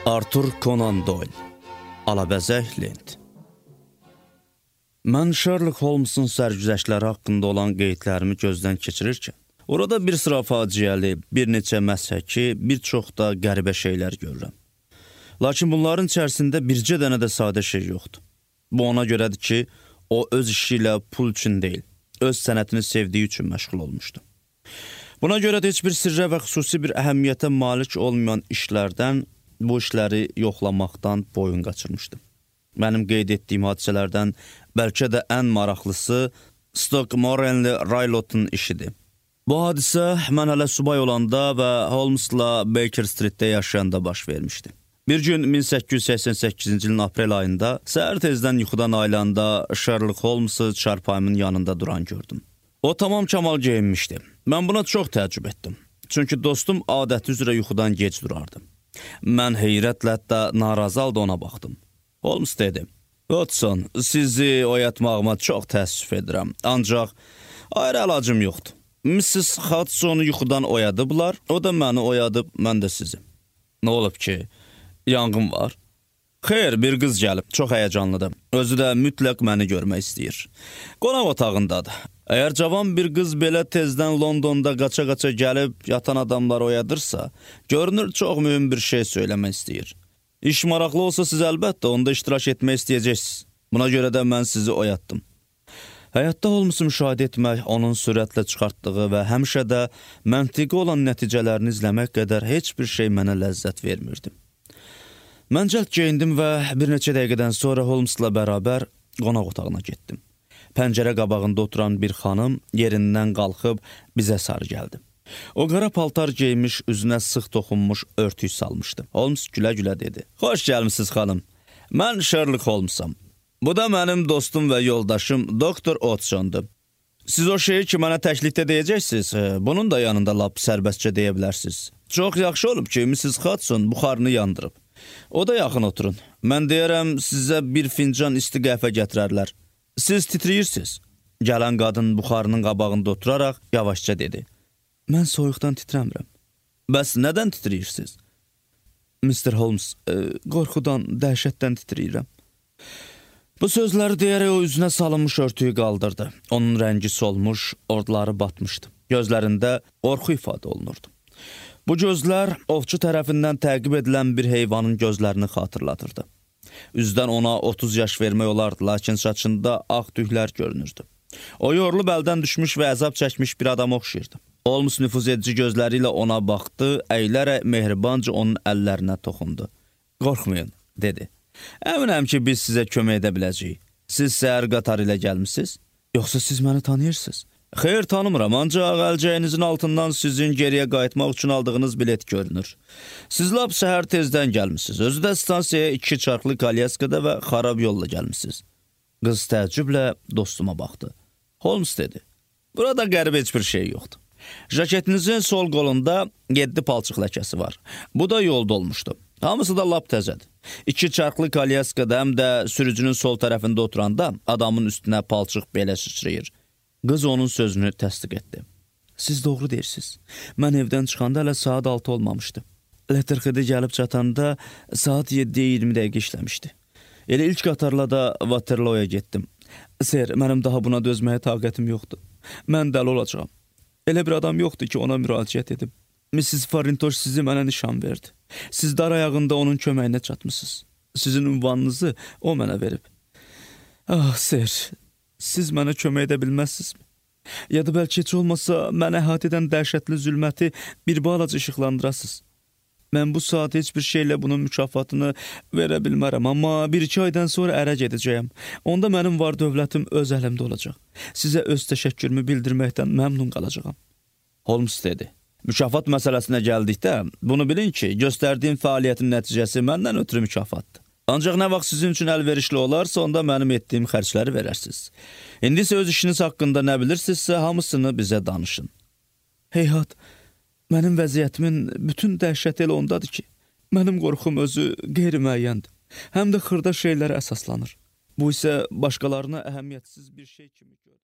Arthur Conan Doyle, Alabəzək lent. Mən Sherlock Holmes'un sərgüzəştləri haqqında olan qeydlərimi gözdən keçirirkən, orada bir sıra faciəli, bir neçə məshəki, bir çox da qəribə şeylər görürəm. Lakin bunların içərisində bircə dənə də sadə şey yoxdur. Bu ona görədir ki, o öz işi ilə pul üçün deyil, öz sənətini sevdiyi üçün məşğul olmuşdu. Buna görə də heç bir sirrə və xüsusi bir əhəmiyyətə malik olmayan işlərdən, bu işləri yoxlamaqdan boyun qaçırmışdım. Mənim qeyd etdiyim hadisələrdən bəlkə də ən maraqlısı Stockmore'li Raylot'un işidir. Bu hadisə mən hələ subay olanda və Holmes'la Baker Street'də yaşayanda baş vermişdi. Bir gün 1888-ci ilin aprel ayında səhər tezdən yuxudan ayılanda Sherlock Holmes'ı çarpayımın yanında duran gördüm. O tamam kamal geyinmişdi. Mən buna çox təəccüb etdim. Çünki dostum adəti üzrə yuxudan gec durardı. Mən heyrətlə hətta narazı halda ona baxdım. Holmes dedi, Watson, sizi oyatmağıma çox təəssüf edirəm. Ancaq ayrı əlacım yoxdur. Mrs. Hudson'u yuxudan oyadıblar, o da məni oyadıb, mən də sizi. Nə olub ki? Yanğın var? Xeyr, bir qız gəlib, çox həyəcanlıdır. Özü də mütləq məni görmək istəyir. Qonaq otağındadır. Əgər cavan bir qız belə tezdən Londonda qaça-qaça gəlib yatan adamları oyadırsa, görünür çox mühüm bir şey söyləmək istəyir. İş maraqlı olsa siz əlbəttə onda iştirak etmək istəyəcəksiniz. Buna görə də mən sizi oyatdım. Həyatda Holmes'u müşahidə etmək, onun sürətlə çıxartdığı və həmişə də məntiqi olan nəticələrini izləmək qədər heç bir şey mənə ləzzət vermirdi. Mən cəld geyindim və bir neçə dəqiqədən sonra Holmes'la bərabər qonaq otağına getdim. Pəncərə qabağında oturan bir xanım yerindən qalxıb bizə sarı gəldi. O qara paltar geymiş, üzünə sıx toxunmuş örtük salmışdı. Holmes gülə-gülə dedi. Xoş gəlmisiniz xanım. Mən Sherlock Holmes'am. Bu da mənim dostum və yoldaşım Dr. Watson'dur. Siz o şeyi ki, mənə təklikdə deyəcəksiniz, bunun da yanında lap sərbəstcə deyə bilərsiniz. Çox yaxşı olub ki, Mrs. Hudson buxarını yandırıb. O da yaxın oturun. Mən deyərəm, sizə bir fincan isti qəhvə gətirərlər. Siz titriyirsiniz. Gələn qadın buxarının qabağında oturaraq yavaşca dedi. Mən soyuqdan titrəmirəm. Bəs nədən titriyirsiniz? Mr. Holmes, qorxudan, dəhşətdən titriyirəm. Bu sözləri deyərək o üzünə salınmış örtüyü qaldırdı. Onun rəngi solmuş, ordları batmışdı. Gözlərində qorxu ifadə olunurdu. Bu gözlər ovçu tərəfindən təqib edilən bir heyvanın gözlərini xatırladırdı. Üzdən ona 30 yaş vermək olardı, lakin saçında ağ tüklər görünürdü. O yorulub əldən düşmüş və əzab çəkmiş bir adam oxşayırdı. Holmes nüfuz edici gözləri ilə ona baxdı, əylərək mehribanca onun əllərinə toxundu. Qorxmayın, dedi. Əminəm ki, biz sizə kömək edə biləcəyik. Siz səhər qatarı ilə gəlmisiniz? Yoxsa siz məni tanıyırsınız? Xeyr, tanımıram, ancaq əlcəyinizin altından sizin geriyə qayıtmaq üçün aldığınız bilet görünür. Siz lap səhər tezdən gəlmisiniz. Özü də stansiyaya 2 çarxlı kalyaskada və xarab yolla gəlmisiniz. Qız təəccüblə dostuma baxdı. Holmes dedi, burada qəribə heç bir şey yoxdur. Jaketinizin sol qolunda 7 palçıq ləkəsi var. Bu da yolda olmuşdu. Hamısı da lap təzədir. 2 çarxlı kalyaskada həm də sürücünün sol tərəfində oturanda adamın üstünə palçıq belə sıçrayır. Qız onun sözünü təsdiq etdi. Siz doğru deyirsiniz. Mən evdən çıxanda hələ saat 6 olmamışdı. Letterhead'e gəlib çatanda saat 7-yə 20 dəqiqə işləmişdi. Elə ilk qatarla da Waterloo'ya getdim. Ser, mənim daha buna dözməyə taqətim yoxdur. Mən dəli olacağam. Elə bir adam yoxdur ki, ona müraciət edim. Mrs. Farintosh sizi mənə nişan verdi. Siz dar ayağında onun köməyinə çatmışsınız. Sizin ünvanınızı o mənə verib. Ah, Ser, siz mənə kömək edə bilməzsizmi? Ya da bəlkə heç olmasa mənə əhatə edən dəhşətli zülməti bir balaca işıqlandırasınız. Mən bu saat heç bir şeylə bunun mükafatını verə bilmərəm, amma 1-2 aydan sonra ərə gedəcəyəm. Onda mənim var dövlətim öz əlimdə olacaq. Sizə öz təşəkkürümü bildirməkdən məmnun qalacağam. Holmes dedi. Mükafat məsələsinə gəldikdə, bunu bilin ki, göstərdiyim fəaliyyətin nəticəsi məndən ötürü mükafatdır. Ancaq nə vaxt sizin üçün əlverişli olarsa, onda mənim etdiyim xərcləri verərsiniz. İndi isə öz işiniz haqqında nə bilirsinizsə, hamısını bizə danışın. Heyhat, mənim vəziyyətimin bütün dəhşəti elə ondadır ki, mənim qorxum özü qeyri-müəyyəndir. Həm də xırda şeylərə əsaslanır. Bu isə başqalarına əhəmiyyətsiz bir şey kimi görünür.